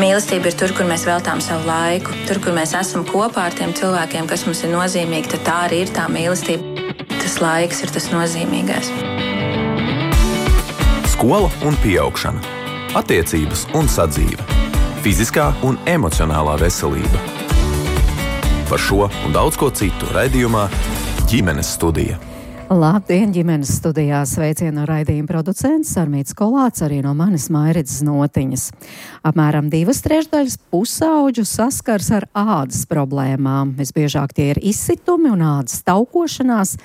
Mīlestība ir tur, kur mēs veltām savu laiku, tur, kur mēs esam kopā ar tiem cilvēkiem, kas mums ir nozīmīgi, tad tā arī ir tā mīlestība. Tas laiks ir tas nozīmīgais. Skola un pieaugšana, attiecības un sadzīve, fiziskā un emocionālā veselība. Par šo un daudz ko citu raidījumā Ģimenes studija. Labdien, ģimenes studijā sveicienu raidījuma producents Sarmīts Kolāts, arī no manis Mairids Notiņas. Apmēram 2/3 pusauģu saskars ar ādas problēmām. Visbiežāk tie ir izsitumi un ādas taukošanās.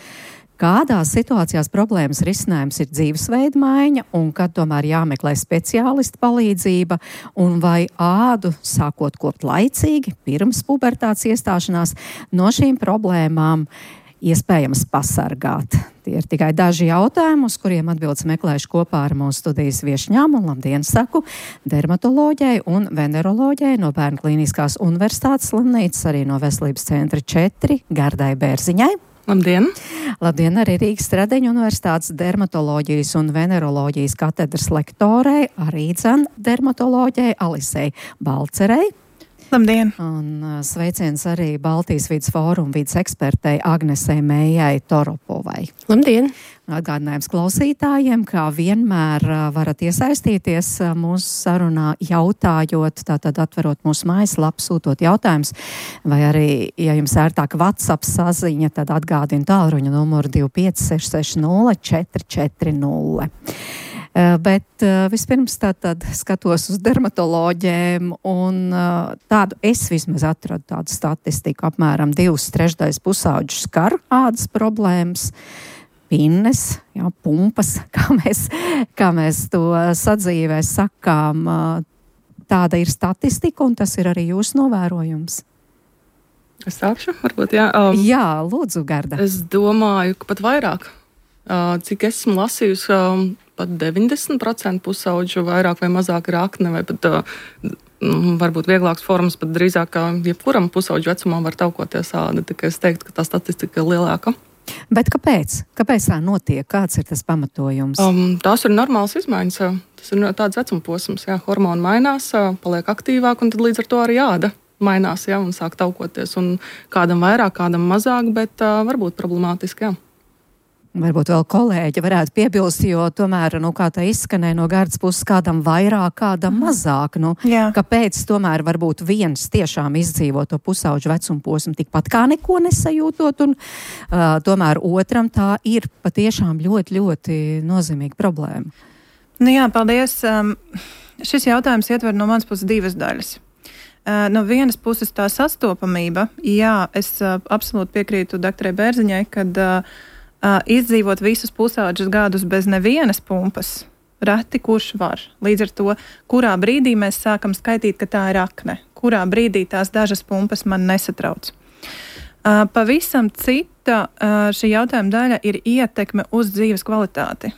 Kādās situācijās problēmas risinājums ir dzīvesveida maiņa un kad tomēr jāmeklē speciālista palīdzība un vai ādu sākot kopt laicīgi pirms pubertātes iestāšanās no šīm problēmām iespējams pasargāt. Tie ir tikai daži jautājumi, uz kuriem atbildes meklēšu kopā ar mūsu studijas viešņām un labdien saku dermatoloģijai un veneroloģijai no Bērnu klīniskās universitātes slimnīcas, arī no Veselības centra 4 Gardai Bērziņai. Labdien! Labdien arī Rīgas Stradeņu universitātes dermatoloģijas un veneroloģijas katedras lektorei, arī dermatoloģijai Alisei Balcerei. Labdien! Un sveiciens arī Baltijas vides fóruma vides ekspertei Agnesei Mējai Toropovai. Labdien! Atgādinājums klausītājiem, kā vienmēr varat iesaistīties mūsu sarunā jautājot, tātad atverot mūsu mājaslapu, sūtot jautājumus, vai arī, ja jums ērtāk WhatsApp saziņa, tad atgādinu tālruņa numuru 25 660 440. Bet vispirms tātad skatos uz dermatoloģiem un tādu es vismaz atradu tādu statistiku, apmēram 2/3 pusauģu skar ādas problēmas, pinnes, pumpas, kā mēs to sadzīvē sakām. Tāda ir statistika un tas ir arī jūsu novērojums. Es sākšu, varbūt, jā. Jā, lūdzu, Garda. Es domāju, ka pat vairāk. Cik esmu lasījusi, pat 90% pusauģu vairāk vai mazāk ir akne, vai pat varbūt vieglāks formas, pat drīzāk kā jebkuram pusauģu vecumam var taukoties āda. Tikai es teiktu, ka tā statistika ir lielāka. Bet kāpēc? Kāpēc tā notiek? Kāds ir tas pamatojums? Tās ir normālas izmaiņas. Tas ir tāds vecuma posms. Jā, hormoni mainās, paliek aktīvāk, un tad līdz ar to arī āda mainās, jā, un sāk taukoties. Un kādam vairāk, kādam mazāk, bet varbūt problemātiski, jā. Varbūt vēl kolēģi varētu piebilst, jo tomēr, kā tā izskanēja no Gardas puses, kādam vairāk, kādam mazāk. Kāpēc tomēr varbūt viens tiešām izdzīvo to pusauģu vecuma posmu tikpat kā neko nesajūtot, un tomēr otram tā ir patiešām ļoti, ļoti nozīmīga problēma. Jā, paldies. Šis jautājums ietver no manas puses divas daļas. No vienas puses tā sastopamība, jā, es absolūti piekrītu doktorai Bērziņai, kad izdzīvot visus pusauģus gadus bez nevienas pumpas, reti kurš var. Līdz ar to, kurā brīdī mēs sākam skaitīt, ka tā ir akne, kurā brīdī tās dažas pumpas man nesatrauc. Pavisam cita šī jautājuma daļa ir ietekme uz dzīves kvalitāti,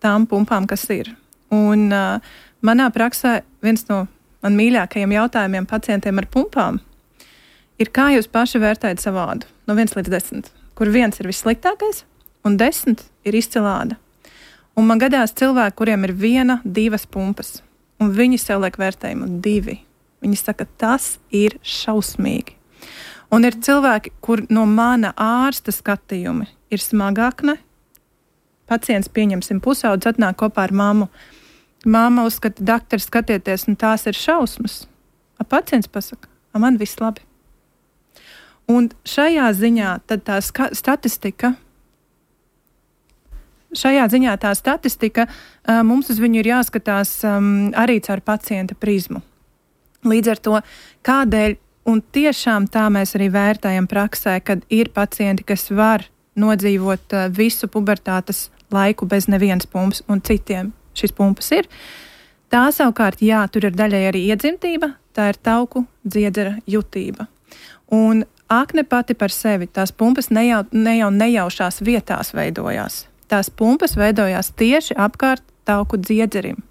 tām pumpām, kas ir. Un manā praksē viens no man mīļākajiem jautājumiem pacientiem ar pumpām ir, kā jūs paši vērtējat savu ādu no 1 līdz 10, kur 1 ir vissliktākais, un 10 ir izcilāda. Un man gadās cilvēki, kuriem ir 1, 2 pumpas, un viņi sev liek vērtējumu 2. Viņi saka, tas ir šausmīgi. Un ir cilvēki, kur no mana ārsta skatījumi ir smagākne. Pacients, pieņemsim, pusaudzis atnāk kopā ar mammu. Mamma uzskata, doktor, skatieties, tās ir šausmas. Pacients pasaka, man viss labi. Un šajā ziņā tad tā statistika, mums uz viņu ir jāskatās arī caur pacienta prizmu. Līdz ar to, kādēļ, un tiešām tā mēs arī vērtējam praksē, kad ir pacienti, kas var nodzīvot visu pubertātes laiku bez nevienas pumpas, un citiem šīs pumpas ir. Tā savukārt, jā, tur ir daļai arī iedzimtība, tā ir tauku dziedzera jutība. Un akne pati par sevi, tās pumpas nejaušās vietās veidojās. Tās pumpas veidojās tieši apkārt tauku dziedzerim.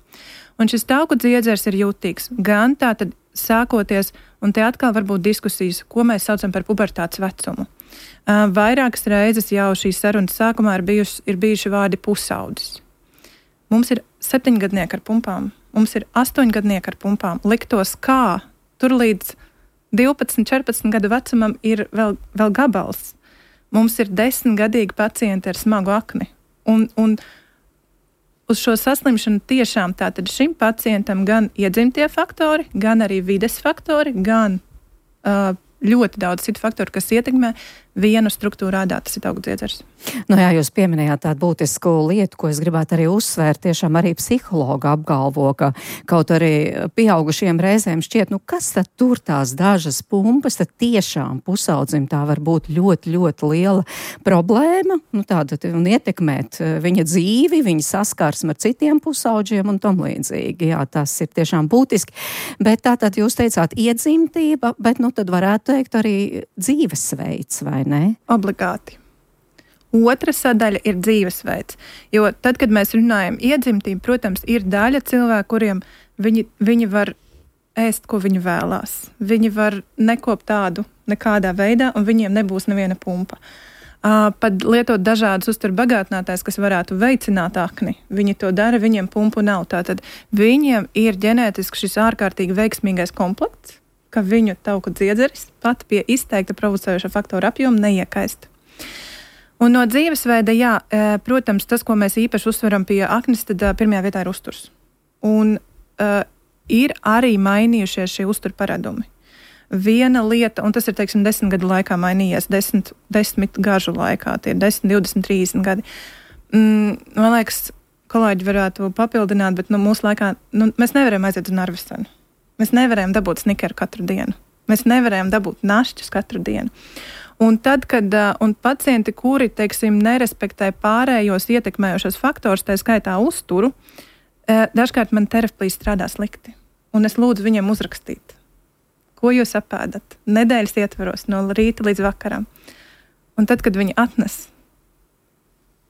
Un šis tauku dziedzers ir jutīgs. Gan tātad sākoties, un te atkal var būt diskusijas, ko mēs saucam par pubertātes vecumu. Vairākas reizes jau šīs sarunas sākumā ir bijuši vārdi pusaudzis. Mums ir 7-gadnieki ar pumpām, Mums ir 8 gadnieki ar pumpām. Liktos, kā tur līdz 12, 14 gadu vecumam ir vēl gabals. Mums ir 10-gadīgi pacienti ar smagu akni. Un uz šo saslimšanu tiešām tātad šim pacientam gan iedzimtie faktori, gan arī vides faktori, gan ļoti daudz citu faktoru, kas ietekmē vienu struktūru ādā, tas ir augstdziedzers. Nu jā, jūs pieminējāt tādu būtisku lietu, ko es gribētu arī uzsvērt. Tiešām arī psihologa apgalvo, ka kaut arī pieaugušiem reizēm šķiet, kas tad tur tās dažas pumpas, tad tiešām pusaudzim tā var būt ļoti, ļoti liela problēma, tāda un ietekmēt viņa dzīvi, viņa saskarsmi ar citiem pusauģiem un tam līdzīgi. Jā, tas ir tiešām būtiski. Bet tātad jūs teicāt iedzimtība, bet tad varētu teikt arī dzīvesveids, vai ne? Obligāti. Otra sadaļa ir dzīvesveids, jo tad, kad mēs runājam iedzimtību, protams, ir daļa cilvēku, kuriem viņi var ēst, ko viņi vēlās. Viņi var nekopt tādu nekādā veidā, un viņiem nebūs neviena pumpa. Pat lietot dažādas uzturbagātinātājs, kas varētu veicināt akni. Viņi to dara, viņiem pumpu nav. Tātad viņiem ir ģenētiski šis ārkārtīgi veiksmīgais komplekts, ka viņu tauku dziedzeris pat pie izteikta provocējoša faktora apjoma neiekaist. Un no dzīvesveida, jā, protams, tas, ko mēs īpaši uzsveram pie aknes, tad pirmajā vietā ir uzturs. Un ir arī mainījušies šie uzturparadumi. Viena lieta, un tas ir, 10 gadu laikā mainījies, 10 gažu laikā, tie ir 10, 20, 30 gadi. Man liekas, kolēģi varētu papildināt, bet mūsu laikā mēs nevarējām aiziet uz Narvesenu. Mēs nevarējām dabūt snikeru katru dienu. Mēs nevarējām dabūt našķus katru dienu. Un tad, kad pacienti, kuri, nerespektē pārējos ietekmējošos faktors, tā skaitā uzturu, dažkārt man terapijas strādā slikti. Un es lūdzu viņiem uzrakstīt, ko jūs apēdat nedēļas ietveros no rīta līdz vakaram. Un tad, kad viņi atnes,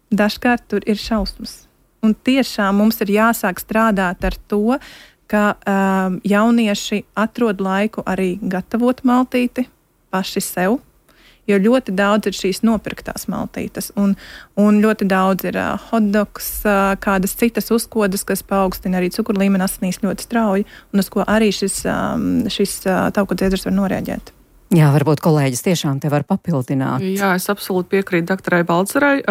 dažkārt tur ir šausmas. Un tiešām mums ir jāsāk strādāt ar to, ka jaunieši atrod laiku arī gatavot maltīti paši sev, jo ļoti daudz ir šīs nopirktās maltītes, un ļoti daudz ir hotdogs, kādas citas uzkodas, kas paaugstina arī cukurlīmeni asinīs ļoti strauji, un uz ko arī šis tauku dziedzers var noreaģēt. Jā, varbūt kolēģis tiešām te var papildināt. Jā, es absolūti piekrītu doktorai Balcerai.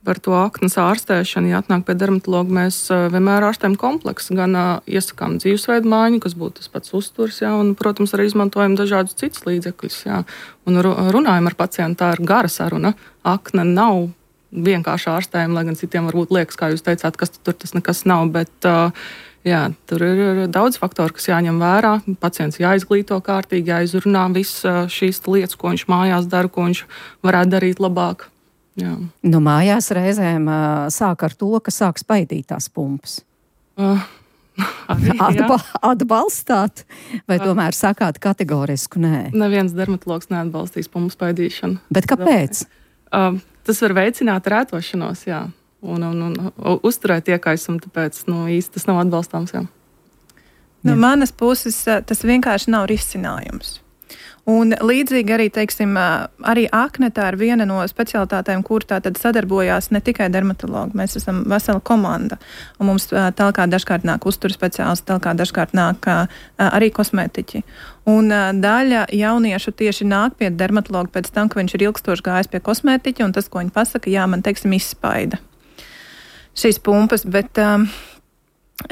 Par to aknas ārstēšanu, ja atnāk pie dermatologa, mēs vienmēr ārstējam kompleksu, gan iesakām dzīvesveidu maiņu, kas būtu tas pats uzturs, jā, un, protams, arī izmantojam dažādus citus līdzekļus, jā, un runājam ar pacientu, tā ir gara saruna. Akne nav vienkārši ārstējama, lai gan citiem varbūt liekas, kā jūs teicāt, kas tur tas nekas nav, bet jā, tur ir daudz faktoru, kas jāņem vērā. Pacients jāizglīto kārtīgi, jāizrunā visas šīs lietas, ko viņš mājās dara, ko viņš varētu darīt labāk. Jā. Mājās reizēm sāk ar to, ka sāk spaidīt tās pumpas. Atbalstāt, vai tomēr sakāt kategorisku nē? Neviens dermatologs neatbalstīs pumpu spaidīšanu. Bet kāpēc? Tas var veicināt rētošanos, jā, un uzturēt iekaisumu, tāpēc īsti tas nav atbalstāms. Jā. No manas puses tas vienkārši nav risinājums. Un līdzīgi arī, arī akne tā ir viena no specialitātēm, kur tātad sadarbojās ne tikai dermatologi. Mēs esam vesela komanda, un mums tālāk dažkārt nāk uzturu speciālisti, tālāk dažkārt nāk arī kosmētiķi. Un daļa jauniešu tieši nāk pie dermatologa pēc tam, ka viņš ir ilgstoši gājis pie kosmētiķa, un tas, ko viņi pasaka, jā, man, izspaida šīs pumpas, bet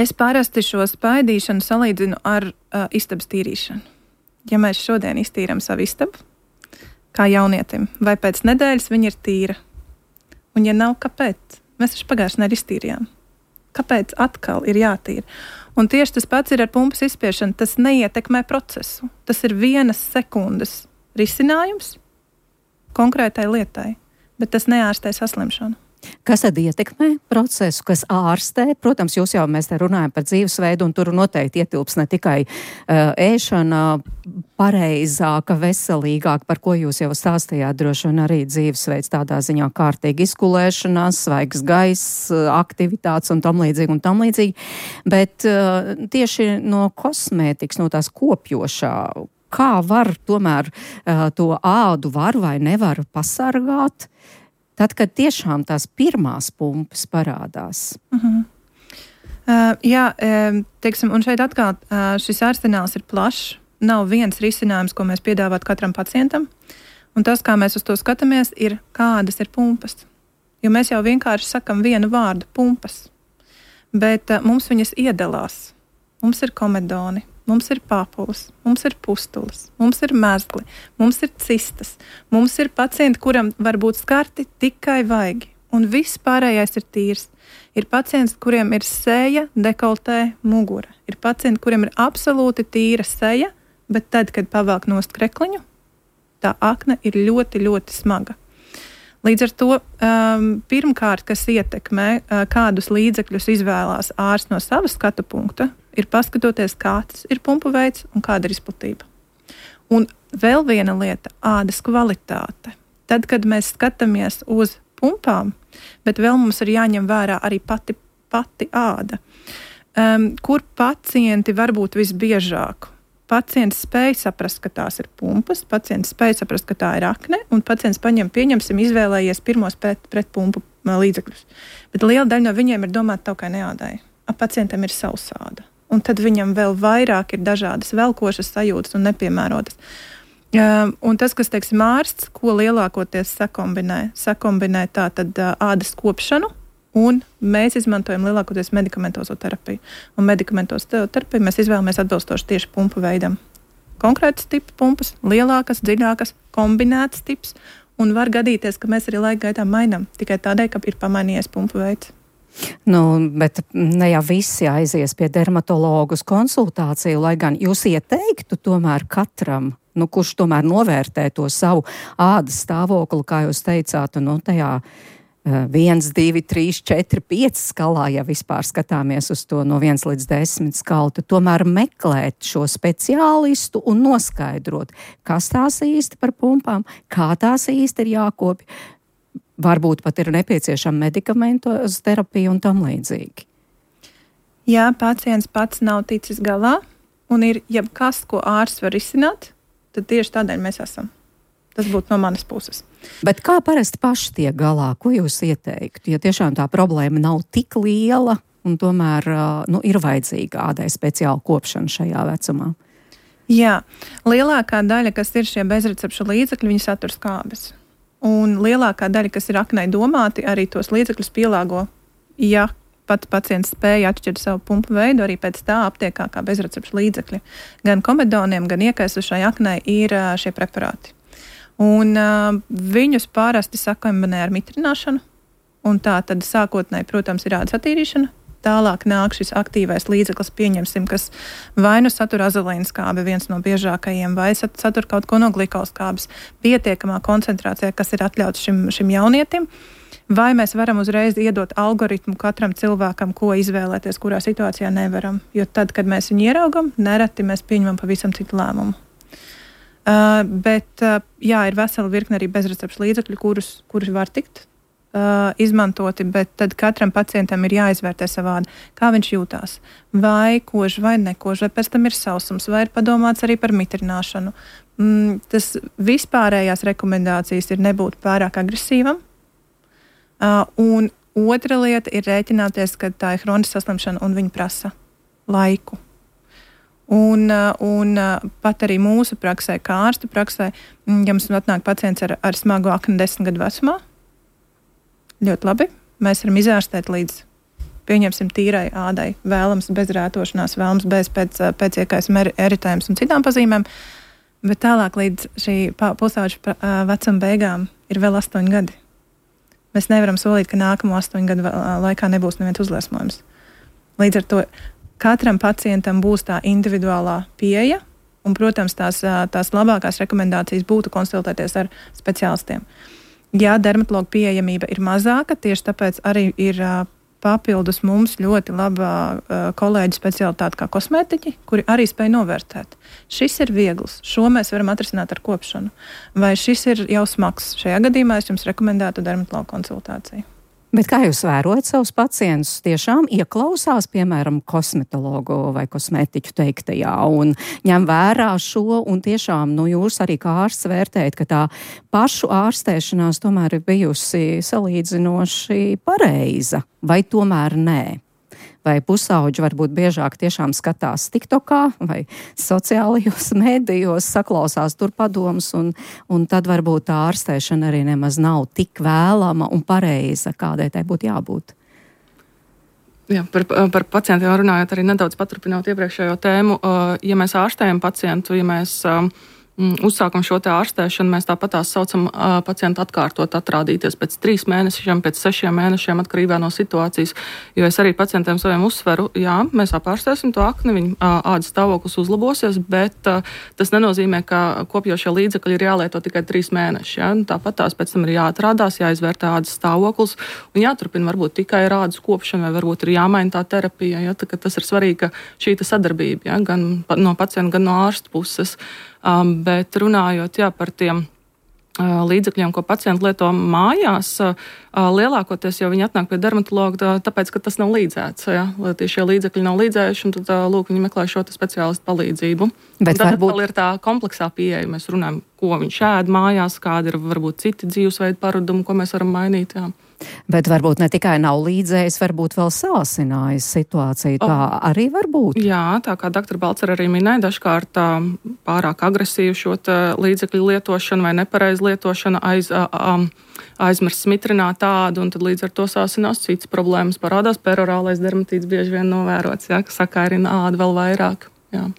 es parasti šo spaidīšanu salīdzinu ar istabas tīrīšanu. Ja mēs šodien iztīram savu istabu, kā jaunietim, vai pēc nedēļas viņa ir tīra? Un ja nav, kāpēc? Mēs taču pagājušajā nedēļā iztīrījām. Kāpēc atkal ir jātīra? Un tieši tas pats ir ar pumpas izspiešanu. Tas neietekmē procesu. Tas ir 1 sekundes risinājums konkrētai lietai, bet tas neārstē saslimšanu. Kas tad ietekmē procesu, kas ārstē? Protams, mēs te runājam par dzīvesveidu, un tur noteikti ietilps ne tikai ēšana pareizāka, veselīgāka, par ko jūs jau stāstījāt, droši vien arī dzīvesveids tādā ziņā kārtīgi izkulēšanās, svaigs gaiss, aktivitātes un tam līdzīgi. Bet tieši no kosmētikas, no tās kopjošā, kā var tomēr to ādu var vai nevar pasargāt? Tad, kad tiešām tās pirmās pumpas parādās. Teiksim, un šeit atkal šis arsenāls ir plašs. Nav viens risinājums, ko mēs piedāvātu katram pacientam. Un tas, kā mēs uz to skatāmies, ir kādas ir pumpas. Jo mēs jau vienkārši sakam vienu vārdu - pumpas. Bet mums viņas iedalās. Mums ir komedoni, mums ir papulas, mums ir pustulas, mums ir mezgli, mums ir cistas. Mums ir pacienti, kuram var būt skarti tikai vaigi. Un viss pārējais ir tīrs. Ir pacienti, kuriem ir seja, dekoltē, mugura. Ir pacienti, kuriem ir absolūti tīra seja, bet tad, kad pavelk nost krekliņu, tā akne ir ļoti, ļoti smaga. Līdz ar to pirmkārt, kas ietekmē, kādus līdzekļus izvēlās ārsts no sava skatu punkta, ir paskatoties, kāds ir pumpu veids un kāda ir izplatība. Un vēl viena lieta - ādas kvalitāte. Tad, kad mēs skatāmies uz pumpām, bet vēl mums ir jāņem vērā arī pati āda. Kur pacienti var būt visbiežāk? Pacients spēj saprast, ka tās ir pumpas, pacients spēj saprast, ka tā ir akne, un pacients pieņemsim, izvēlējies pirmos pret pumpu līdzekļus. Bet liela daļa no viņiem ir domāta taukai ādai. Pacientam ir sausāda. Un tad viņam vēl vairāk ir dažādas velkošas sajūtas un nepiemērotas. Un tas, kas, teiksim, ārsts, ko lielākoties sakombinē tātad ādas kopšanu, un mēs izmantojam lielākoties medikamentozo terapiju. Un medikamentozo terapiju mēs izvēlamies atbilstoši tieši pumpu veidam. Konkrētas tipa pumpas, lielākas, dziļākas, kombinētas tips, un var gadīties, ka mēs arī laika gaitā mainām, tikai tādēļ, ka ir pamainījies pumpu veids. Bet ne jau visi aizies pie dermatologa uz konsultāciju, lai gan jūs ieteiktu tomēr katram, kurš tomēr novērtē to savu ādas stāvokli, kā jūs teicāt, tajā 1, 2, 3, 4, 5 skalā, ja vispār skatāmies uz to no 1 līdz 10 skalu, tad tomēr meklēt šo speciālistu un noskaidrot, kas tās īsti par pumpām, kā tās īsti ir jākopja. Varbūt pat ir nepieciešama medikamentoza terapija un tam līdzīgi. Jā, pacients pats nav ticis galā un ir jebkas, ko ārsts var izsināt, tad tieši tādēļ mēs esam. Tas būtu no manas puses. Bet kā parasti paši tiek galā? Ko jūs ieteiktu? Ja tiešām tā problēma nav tik liela un tomēr ir vajadzīga ādai speciāla kopšana šajā vecumā? Jā, lielākā daļa, kas ir šie bezrecepšu līdzekļi, viņi satur skābes. Un lielākā daļa, kas ir aknei domāti, arī tos līdzekļus pielāgo, ja pats pacients spēja atšķirt savu pumpu veidu, arī pēc tā aptiekā kā bezrecepšu līdzekļi. Gan komedoniem, gan iekaisušai aknei ir šie preparāti. Un viņus pārasti sakombinē ar mitrināšanu, un tā tad sākotnēji, protams, ir ādas attīrīšana. Tālāk nāk šis aktīvais līdzeklis, pieņemsim, kas vai nu satur azolīnskābi, viens no biežākajiem, vai satur kaut ko no glikolskābes, pietiekamā koncentrācijā, kas ir atļauts šim jaunietim, vai mēs varam uzreiz iedot algoritmu katram cilvēkam, ko izvēlēties, kurā situācijā nevaram. Jo tad, kad mēs viņu ieraugam, nereti mēs pieņemam pavisam citu lēmumu. Bet ir vesela virkne arī bezrecepšu līdzekļu, kurus var tikt izmantoti, bet tad katram pacientam ir jāizvērtē savādi, kā viņš jūtās. Vai kož, vai nekož, vai pēc tam ir sausums, vai ir padomāts arī par mitrināšanu. Tas vispārējās rekomendācijas ir nebūt pārāk agresīvam. Un otra lieta ir rēķināties, ka tā ir hroniska saslimšana un viņa prasa laiku. Un pat arī mūsu praksē, kā ārstu praksē, ja mums atnāk pacients ar smagu akni 10 gadu vecumā, ļoti labi, mēs varam izārstēt līdz, pieņemsim, tīrai ādai, vēlams bez rētošanās, vēlams bez pēc iekaisuma eritējums un citām pazīmēm, bet tālāk līdz šī pusauģa vecuma beigām ir vēl 8 gadi. Mēs nevaram solīt, ka nākamo 8 gadu laikā nebūs neviens uzliesmojums. Līdz ar to katram pacientam būs tā individuālā pieeja, un, protams, tās labākās rekomendācijas būtu konsultēties ar speciālistiem. Ja dermatologa pieejamība ir mazāka, tieši tāpēc arī ir papildus mums ļoti laba kolēģi specialitāte kā kosmētiķi, kuri arī spēj novērtēt. Šis ir viegls, šo mēs varam atrisināt ar kopšanu. Vai šis ir jau smags? Šajā gadījumā es jums rekomendētu dermatologa konsultāciju. Bet kā jūs vērojat savus pacientus? Tiešām ieklausās, piemēram, kosmetologu vai kosmētiķu teiktajā un ņem vērā šo, un tiešām jūs arī kā ārsts vērtējat, ka tā pašu ārstēšanās tomēr ir bijusi salīdzinoši pareiza, vai tomēr nē? vai pusauģi varbūt biežāk tiešām skatās TikTokā vai sociālajos medijos, saklausās tur padomus, un tad varbūt tā ārstēšana arī nemaz nav tik vēlama un pareiza, kādai tai būtu jābūt. Jā, par pacientiem runājot, arī nedaudz paturpinot iepriekšējo tēmu, ja mēs ārstējam pacientu, ja mēs uzsākam šo te ārstēšanu, mēs tāpatās saucam pacientu atkārtot atrādīties pēc 3 mēnešiem, pēc 6 mēnešiem atkarībā no situācijas, jo es arī pacientiem saviem uzsveru, jā, mēs apārstēsim to akni, viņa ādas stāvoklis uzlabosies, bet tas nenozīmē, ka kopjošie līdzekļi ir jālieto tikai 3 mēneši, ja? Tāpatās pēc tam ir jāatrādās, jāizvērtē ādas stāvoklis un jāturpina varbūt tikai ar ādas kopšanu vai varbūt ir jāmaina tā terapija, ja? Tā, tas ir svarīgi, ka šī sadarbība, ja? Gan no pacienta, gan no ārsta puses. Bet runājot par tiem līdzekļiem, ko pacienti lieto mājās, lielākoties jau viņi atnāk pie dermatologa, tāpēc, ka tas nav līdzēts. Ja? Šie līdzekļi nav līdzējuši, un tad lūk, viņi meklē šo speciālistu palīdzību. Bet tad varbūt ir tā kompleksā pieeja. Mēs runājam, ko viņš ēd mājās, kādi ir varbūt citi dzīvesveidu paradumi, ko mēs varam mainīt. Jā. Bet varbūt ne tikai nav līdzējis, varbūt vēl sāsinājis situāciju. Tā arī var būt. Jā, tā kā doktora Balcer arī minēja, dažkārt pārāk agresīvu šo līdzekļu lietošanu vai nepareizu lietošanu aizmirst smitrināt ādu, un tad līdz ar to sāsinās citas problēmas. Parādās perorālais dermatīts bieži vien novērots, ja, kas sakārina ādu vēl vairāk. Jā.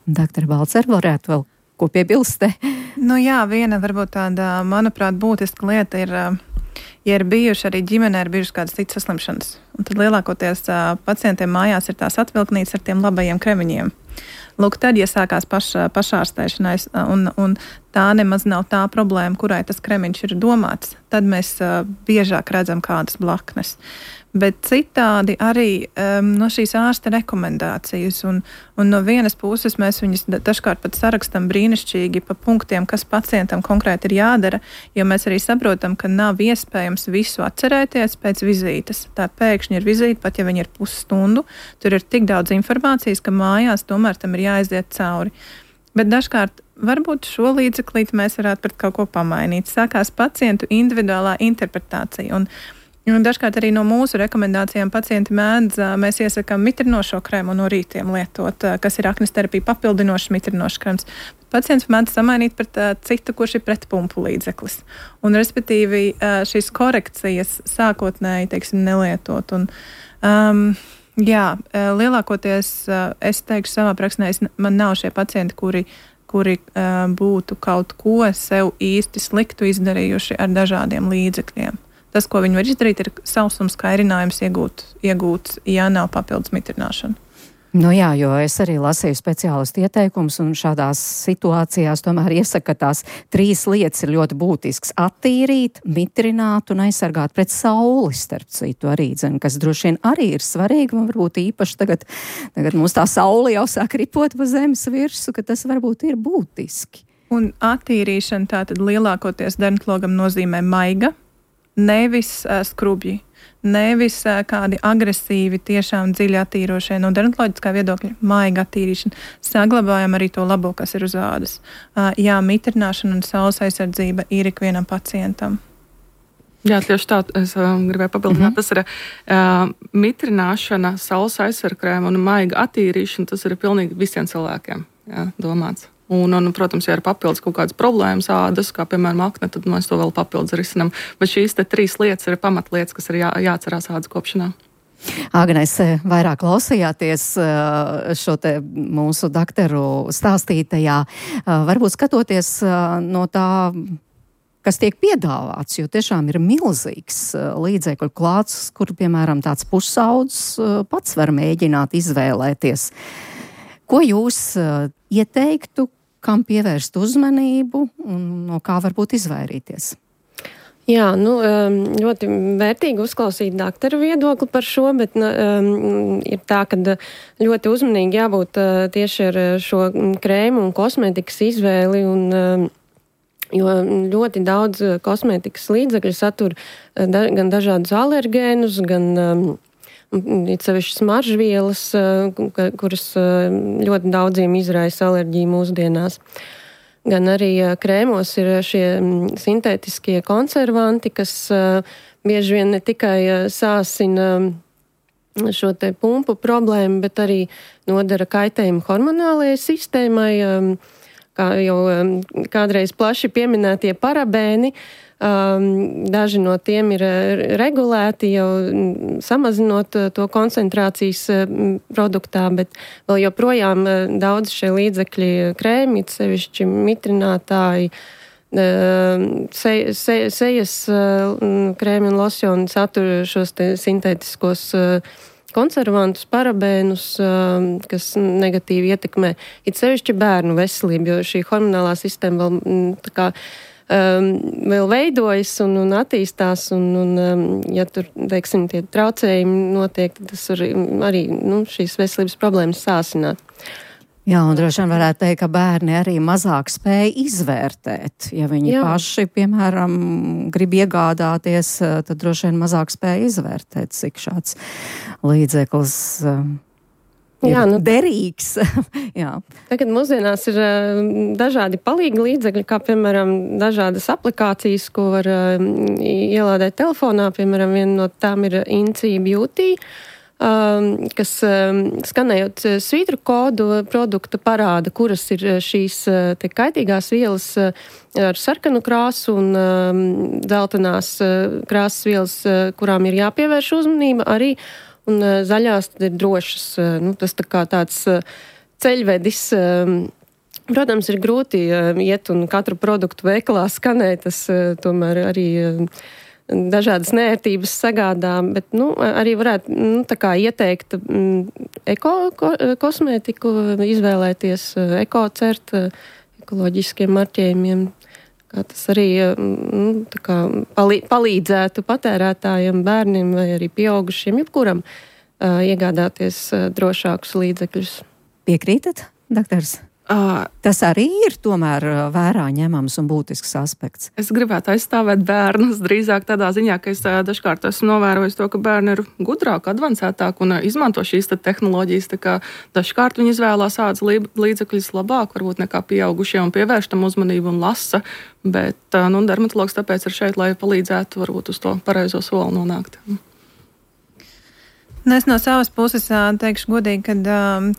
Doktora Balcer, varētu vēl ko piebilst? Nu jā, viena varbūt tāda, manuprāt, būtiska lieta ir, ja ir bijuši arī ģimenē, ir bijušas kādas citas saslimšanas. Un tad lielākoties pacientiem mājās ir tās atvilknītes ar tiem labajiem kremiņiem. Lūk, tad, ja sākās pašārstēšanais, un tā nemaz nav tā problēma, kurai tas kremiņš ir domāts, tad mēs biežāk redzam kādas blaknes. Bet citādi arī no šīs ārsta rekomendācijas, un no vienas puses mēs viņus dažkārt pat sarakstam brīnišķīgi pa punktiem, kas pacientam konkrēti ir jādara, jo mēs arī saprotam, ka nav iespējams visu atcerēties pēc vizītes. Tā pēkšņi ir vizīte, pat ja viņi ir pusstundu, tur ir tik daudz informācijas, ka mājās tomēr tam ir jāaiziet cauri. Bet dažkārt varbūt šo līdzeklīti mēs varētu pret kaut ko pamainīt. Sākās pacientu individuālā interpretācija, un dažkārt arī no mūsu rekomendācijām pacienti mēdz, mēs iesakām mitrinošo krēmu no rītiem lietot, kas ir aknes terapija papildinošs mitrinošs krēms. Pacients mēdz samainīt pret citu, kurš ir pretpumpu līdzeklis. Un, respektīvi, šīs korekcijas sākotnēji, teiksim, nelietot. Un, lielākoties, es teikšu savā praksnē, man nav šie pacienti, kuri būtu kaut ko sev īsti sliktu izdarījuši ar dažādiem līdzekļiem. Tas, ko viņi var izdarīt, ir sausums kairinājums iegūts, ja nav papildus mitrināšana. Nu jā, jo es arī lasīju speciālistu ieteikumus, un šādās situācijās tomēr iesaka, ka tās 3 lietas ir ļoti būtisks - attīrīt, mitrināt un aizsargāt pret sauli, starp citu arī, kas droši vien arī ir svarīgi, un varbūt īpaši tagad mums tā saule jau sāk ripot pa zemes virsu, ka tas varbūt ir būtiski. Un attīrīšana tātad lielākoties dermatologam nozīmē maiga, nevis skrubji, nevis kādi agresīvi, tiešām dziļi attīrošie no dermatoloģiskā viedokļa, maiga attīrīšana. Saglabājam arī to labo, kas ir uz ādas. Jā, mitrināšana un saules aizsardzība ir ikvienam pacientam. Jā, tieši tā, es gribēju papildināt. Tas ir mitrināšana, saules aizsargkrēma un maiga attīrīšana, tas ir pilnīgi visiem cilvēkiem, jā, domāts. Un, protams, ja ir papildus kaut kādas problēmas ādas, kā piemēram akne, tad mēs to vēl papildus risinām. Bet šīs 3 lietas ir pamatlietas, kas ir jāatcerās ādas kopšanā. Agnes, vairāk klausījāties šo te mūsu doktoru stāstītajā. Varbūt skatoties no tā, kas tiek piedāvāts, jo tiešām ir milzīgs līdzekļu klāsts, kur, piemēram, tāds pusaudzis pats var mēģināt izvēlēties. Ko jūs ieteiktu, kam pievērst uzmanību un no kā varbūt izvairīties? Jā, ļoti vērtīgi uzklausīt doktora viedokli par šo, bet ir tā, ka ļoti uzmanīgi jābūt tieši ar šo krēmu un kosmētikas izvēli, jo ļoti daudz kosmētikas līdzekļu satur gan dažādus alergēnus, gan it sevišķi smaržvielas, kuras ļoti daudziem izraisa alerģiju mūsdienās. Gan arī krēmos ir šie sintētiskie konservanti, kas bieži vien ne tikai sāsina šo te pumpu problēmu, bet arī nodara kaitējumu hormonālajai sistēmai, kā jau kādreiz plaši pieminētie parabēni. Daži no tiem ir regulēti, jau samazinot to koncentrācijas produktā, bet vēl joprojām daudz šie līdzekļi krēmi, sevišķi mitrinātāji, sejas krēmi un losjoni satur šos te sintētiskos konservantus, parabēnus, kas negatīvi ietekmē it sevišķi bērnu veselību, jo šī hormonālā sistēma vēl tā kā vēl veidojas un attīstās, un ja tur, teiksim, tie traucējumi notiek, tad tas var arī šīs veselības problēmas sāsināt. Jā, un droši vien varētu teikt, ka bērni arī mazāk spēja izvērtēt. Ja viņi paši, piemēram, grib iegādāties, tad droši vien mazāk spēja izvērtēt, cik šāds līdzeklis derīgs. Jā. Tagad mūsdienās ir dažādi palīgi līdzekļi, kā piemēram dažādas aplikācijas, ko var ielādēt telefonā. Piemēram, viena no tām ir INCI Beauty, kas skanējot svītru kodu produkta parāda, kuras ir šīs te kaitīgās vielas ar sarkanu krāsu un dzeltenās krāsas vielas, kurām ir jāpievērš uzmanība arī. Un zaļās tad ir drošas. Tas tā kā tāds ceļvedis. Protams, ir grūti iet un katru produktu veikalā skanēt, tas tomēr arī dažādas neērtības sagādā, bet arī varētu tā kā ieteikt kosmētiku, izvēlēties ekocert, ekoloģiskiem marķējumiem. Kā tas arī tā kā palīdzētu patērētājiem, bērniem vai arī pieaugušiem, jebkuram iegādāties drošākus līdzekļus. Piekrītat, doktors? Tas arī ir tomēr vērā ņemams un būtisks aspekts. Es gribētu aizstāvēt bērnus drīzāk tādā ziņā, ka es dažkārt esmu novērojis to, ka bērni ir gudrāki, advancētāki un izmanto šīs tehnoloģijas. Tā kā dažkārt viņi izvēlās ādas līdzekļus labāk, varbūt nekā pieaugušie un pievērš tam uzmanību un lasa. Bet dermatologs tāpēc ir šeit, lai palīdzētu varbūt uz to pareizo soli nonākt. Es no savas puses teikšu godīgi, ka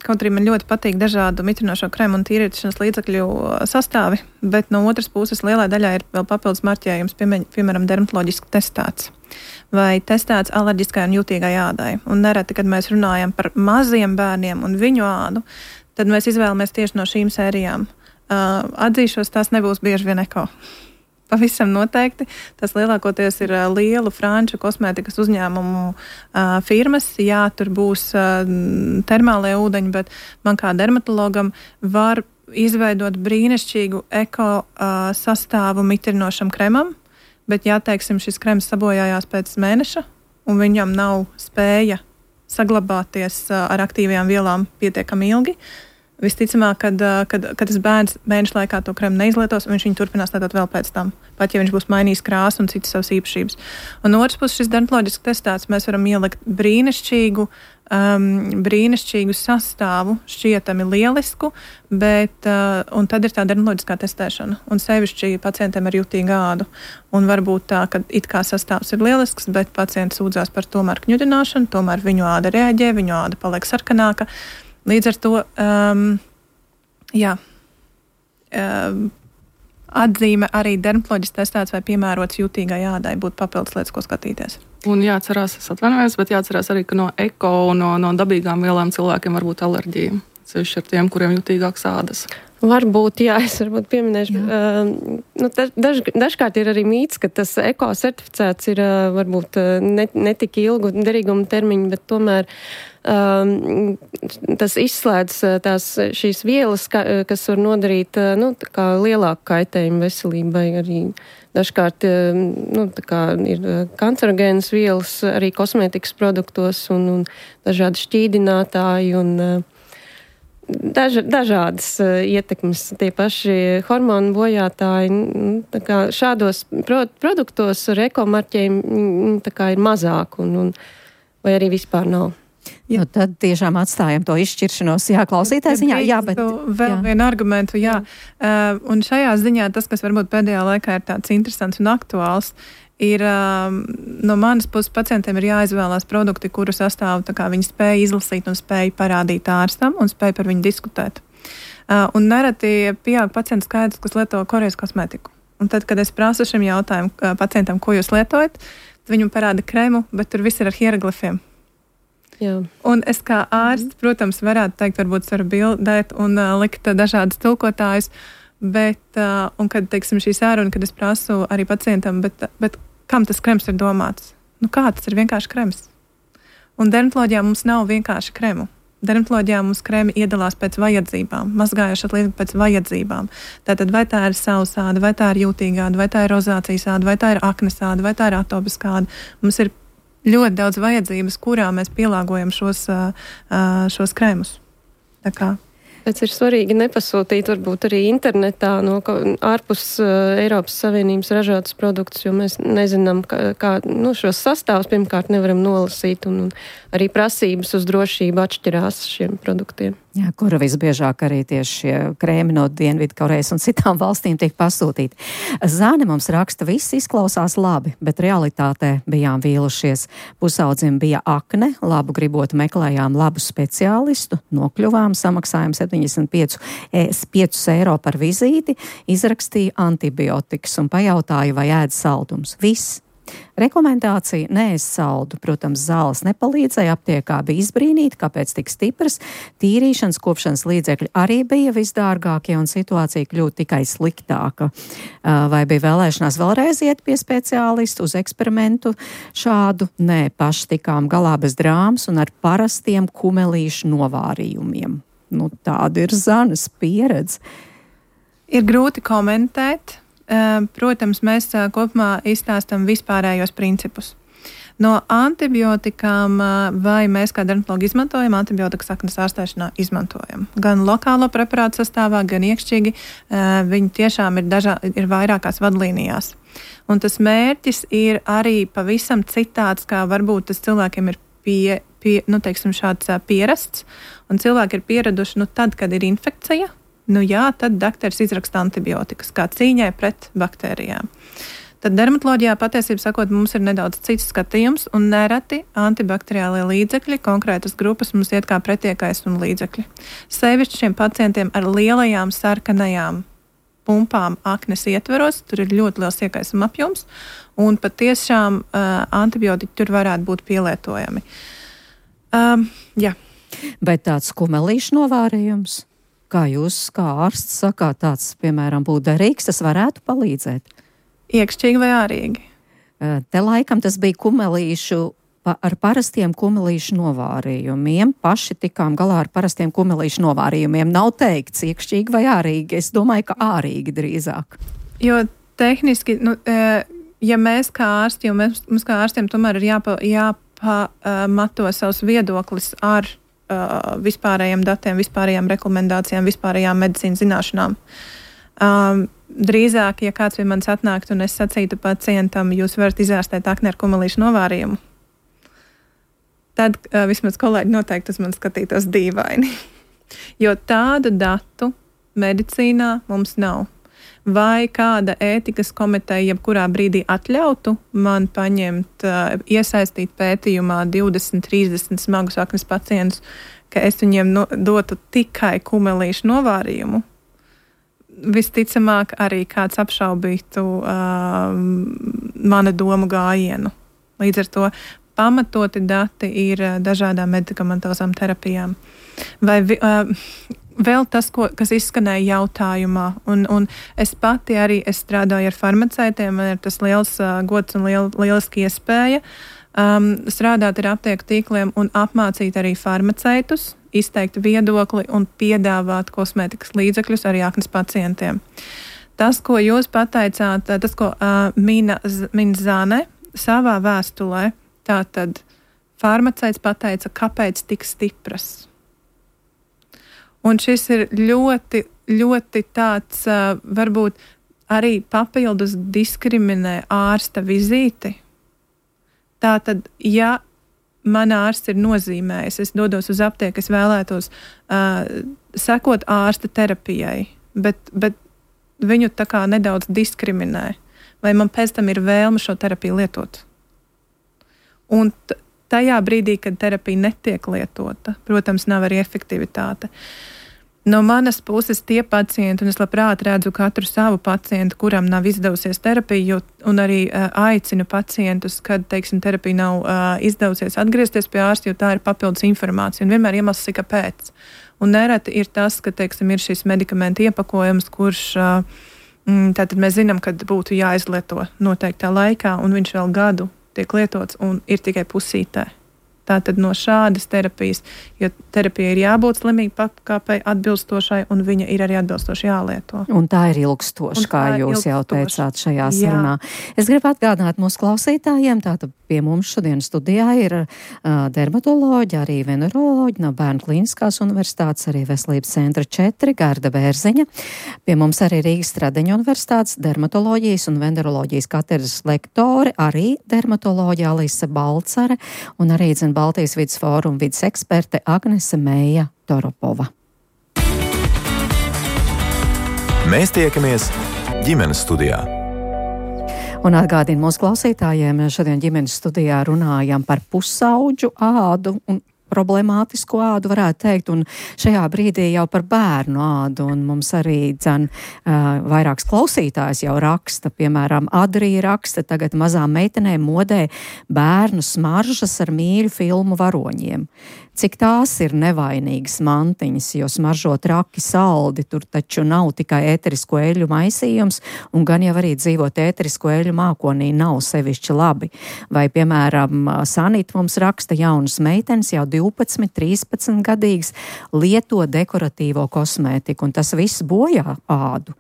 kaut arī man ļoti patīk dažādu mitrinošo krēmu un tīrīšanas līdzekļu sastāvi, bet no otras puses lielai daļai ir vēl papildus marķējums, piemēram, dermatoloģiski testēts vai testēts alerģiskai un jutīgai ādai. Un nereti, kad mēs runājam par maziem bērniem un viņu ādu, tad mēs izvēlamies tieši no šīm sērijām. Atzīšos, tās nebūs bieži vien eko. Pavisam noteikti. Tas lielākoties ir lielu franču kosmētikas uzņēmumu firmas. Jā, tur būs termālie ūdeņi, bet man kā dermatologam var izveidot brīnišķīgu eko sastāvu mitrinošam kremam, bet ja, teiksim, šis krems sabojājās pēc mēneša un viņam nav spēja saglabāties ar aktīvajām vielām pietiekami ilgi, visticamāk, kad tas bērns mēneša laikā to kremu neizlietos, un viņš viņu turpinās lietot vēl pēc tam, pat ja viņš būs mainījis krāsu un citas savas īpašības. Un no otras puses šis dermatoloģiski testēts, mēs varam ielikt brīnišķīgu sastāvu, šķietami lielisku, bet, un tad ir tā dermatoloģiskā testēšana, un sevišķi pacientiem ar jutīgu ādu. Un varbūt tā, ka it kā sastāvs ir lielisks, bet pacients sūdzās par tomēr kņudināšanu, tomēr viņu āda reaģē, viņu āda paliek sarkanāka. Līdz ar to atzīme arī dermatoloģiski testēts vai piemērots jutīgai ādai būtu papildus lietas, ko skatīties. Un jāatcerās, es atvainojos, bet jāatcerās arī, ka no eko un no dabīgām vielām cilvēkiem var būt alerģija. Sevišķi ar tiem, kuriem jutīgāks ādas. Varbūt, jā, es varbūt pieminēšu. Dažkārt ir arī mīts, ka tas eko certificēts ir varbūt ne tik ilgu derīguma termiņu, bet tomēr tas izslēdz šīs vielas, kas var nodarīt lielāku kaitējumu veselībai. Arī dažkārt ir kancerogēnas vielas arī kosmētikas produktos un dažādi šķīdinātāji un dažādas ietekmes, tie paši hormonu bojātāji. Šādos produktos ar ekomarķējumu ir mazāk vai arī vispār nav. Nu, tad tiešām atstājam to izšķiršanos. Jā, klausītājs ziņā. Jā, bet vēl vienu argumentu, jā. Un šajā ziņā tas, kas varbūt pēdējā laikā ir tāds interesants un aktuāls, ir no manas puses pacientiem ir jāizvēlās produkti, kuru sastāvu tā kā viņi spēja izlasīt un spēja parādīt ārstam un spēja par viņu diskutēt. Un nereti pieaug pacientu skaits, kas lieto Korejas kosmētiku. Un tad, kad es prasu šim jautājumu pacientam, ko jūs lietojat, viņam parāda krēmu, bet tur viss ir ar hieroglifiem. Jā. Un es kā ārsts, protams, varētu teikt, varbūt varu bildēt un likt dažādas tulkotājus, bet, un kad, teiksim, šī sāruna, kad es prasu arī pacientam, bet kam tas krems ir domāts? Nu kā, tas ir vienkārši krems. Un dermatoloģijā mums nav vienkārši kremu. Dermatoloģijā mums krēmi iedalās pēc vajadzībām, mazgājošas lietas pēc vajadzībām. Tātad vai tā ir sausāda, vai tā ir jūtīgāda, vai tā ir rozācijas āda, vai tā ir aknesāda, vai tā ir atopiskāda. Mums ir ļoti daudz vajadzības, kurā mēs pielāgojam šos krēmus. Tā kā. Pēc ir svarīgi nepasūtīt varbūt arī internetā no ārpus Eiropas Savienības ražotas produktus, jo mēs nezinām, kā šos sastāvus pirmkārt nevaram nolasīt un arī prasības uz drošību atšķirās šiem produktiem. Jā, kura visbiežāk arī tieši šie krēmi no Dienvidkorejas un citām valstīm tiek pasūtīti. Zāne mums raksta, viss izklausās labi, bet realitātē bijām vīlušies. Pusaudzim bija akne, labu gribot meklējām labu speciālistu, nokļuvām, samaksājām 75 eiro par vizīti, izrakstīja antibiotikas un pajautāja, vai ēd saldums. Viss. Rekomendācija neēst saldu. Protams, zāles nepalīdzēja, aptiekā bija izbrīnīti, kāpēc tik stipras. Tīrīšanas, kopšanas līdzekļi arī bija visdārgākie un situācija kļūtu tikai sliktāka. Vai bija vēlēšanās vēlreiz iet pie speciālistu uz eksperimentu šādu? Nē, paši tikām galā bez drāmas un ar parastiem kumelīšu novārījumiem. Nu, tāda ir Zanes pieredze. Ir grūti komentēt. Protams, mēs kopumā izstāstam vispārējos principus. No antibiotikām, vai mēs kā dermatologi izmantojam, antibiotikas aknes ārstēšanā izmantojam. Gan lokālo preparātu sastāvā, gan iekšķīgi, viņi tiešām ir vairākās vadlīnijās. Un tas mērķis ir arī pavisam citāds, kā varbūt tas cilvēkiem ir šāds pierasts, un cilvēki ir pieraduši, tad, kad ir infekcija, tad dakteris izraksta antibiotikas kā cīņai pret baktērijām. Tad dermatoloģijā patiesībā sakot, mums ir nedaudz cits skatījums un nereti antibakteriālie līdzekļi, konkrētas grupas mums iet kā pretiekais un līdzekļi. Sevišķi šiem pacientiem ar lielajām sarkanajām pumpām aknes ietveros, tur ir ļoti liels iekaisuma apjoms un patiešām antibiotiķi tur varētu būt pielietojami. Jā. Bet tāds kumelīšu novārījums? Kā jūs, kā ārsts, sakāt, tāds, piemēram, būtu derīgs, tas varētu palīdzēt? Iekšķīgi vai ārīgi? Te laikam tas bija kumelīšu ar parastiem kumelīšu novārījumiem. Paši tikām galā ar parastiem kumelīšu novārījumiem. Nav teikts iekšķīgi vai ārīgi. Es domāju, ka ārīgi drīzāk. Jo tehniski, ja mēs kā ārsti, jo mums kā ārstiem tomēr ir jāpamato savs viedoklis ar vispārējiem datiem, vispārējām rekomendācijām, vispārējām medicīnas zināšanām. Drīzāk, ja kāds pie manis atnāktu un es sacītu pacientam, jūs varat izārstēt akni ar kumelīšu novārījumu, tad vismaz kolēģi noteikti uz mani skatītos dīvaini. Jo tādu datu medicīnā mums nav. Vai kāda ētikas komiteja jebkurā brīdī atļautu man paņemt, iesaistīt pētījumā 20, 30 smagus aknes pacientus, ka es viņiem dotu tikai kumelīšu novārījumu? Visticamāk arī kāds apšaubītu mana domu gājienu. Līdz ar to pamatoti dati ir dažādām medikamentozām terapijām. Vai vēl tas, kas izskanēja jautājumā, un es pati arī strādāju ar farmaceitiem, man ir tas liels gods un lieliski iespēja strādāt ar aptieku tīkliem un apmācīt arī farmaceitus, izteikt viedokli un piedāvāt kosmētikas līdzekļus arī aknes pacientiem. Tas, ko jūs pateicāt, tas, ko min Zane savā vēstulē, tātad farmaceits pateica, kāpēc tik stipras. Un šis ir ļoti, ļoti tāds, varbūt arī papildus diskriminē ārsta vizīti. Tātad, ja man ārsts ir nozīmējis, es dodos uz aptieku, es vēlētos sekot ārsta terapijai, bet viņu tā kā nedaudz diskriminē. vai man pēc tam ir vēlme šo terapiju lietot. Un tajā brīdī, kad terapija netiek lietota, protams, nav arī efektivitāte. No manas puses tie pacienti, un es labprāt redzu katru savu pacientu, kuram nav izdevusies terapija, un arī aicinu pacientus, kad, teiksim, terapija nav izdevusies atgriezties pie ārsta, jo tā ir papildus informācija, un vienmēr iemesls ir kāpēc. Un nereti ir tas, ka, teiksim, ir šis medikamenta iepakojums, kurš tātad mēs zinām, kad būtu jāizlieto noteiktā laikā, un viņš vēl gadu tiek lietots un ir tikai pusītē. Tātad no šādas terapijas, jo terapija ir jābūt slimīgi pakāpei atbilstošai, un viņa ir arī atbilstoši jālieto. Un tā ir ilgstoša, kā jūs jau teicāt šajā sarunā. Es gribu atgādināt mūsu klausītājiem, tātad pie mums šodien studijā ir dermatoloģi, arī veneroloģi no Bērnu Kliniskās universitātes, arī Veselības centra 4, Garda Bērziņa. Pie mums arī Rīgas Stradeņu universitātes dermatoloģijas un veneroloģijas katedras lektori, arī dermatoloģi Alise Balcare un arī Baltijas vidas fóruma vidas eksperte Agnese Meija Toropova. Mēs tiekamies ģimenes studijā. Un atgādinu mūsu klausītājiem, šodien ģimenes studijā runājam par pusauģu ādu un problemātisku ādu, varētu teikt, un šajā brīdī jau par bērnu ādu, un mums arī vairāks klausītājs jau raksta, piemēram, Adrija raksta, tagad mazām meitenēm modē bērnu smaržas ar mīļu filmu varoņiem. Cik tās ir nevainīgas mantiņas, jo smaržo traki saldi, tur taču nav tikai ēterisko eļļu maisījums, un gan jau arī dzīvot ēterisko eļļu mākonī nav sevišķi labi. Vai, piemēram, Sanita mums raksta, jaunas meitenes jau 12, 13 gadīgas lieto dekoratīvo kosmētiku, un tas viss bojā ādu.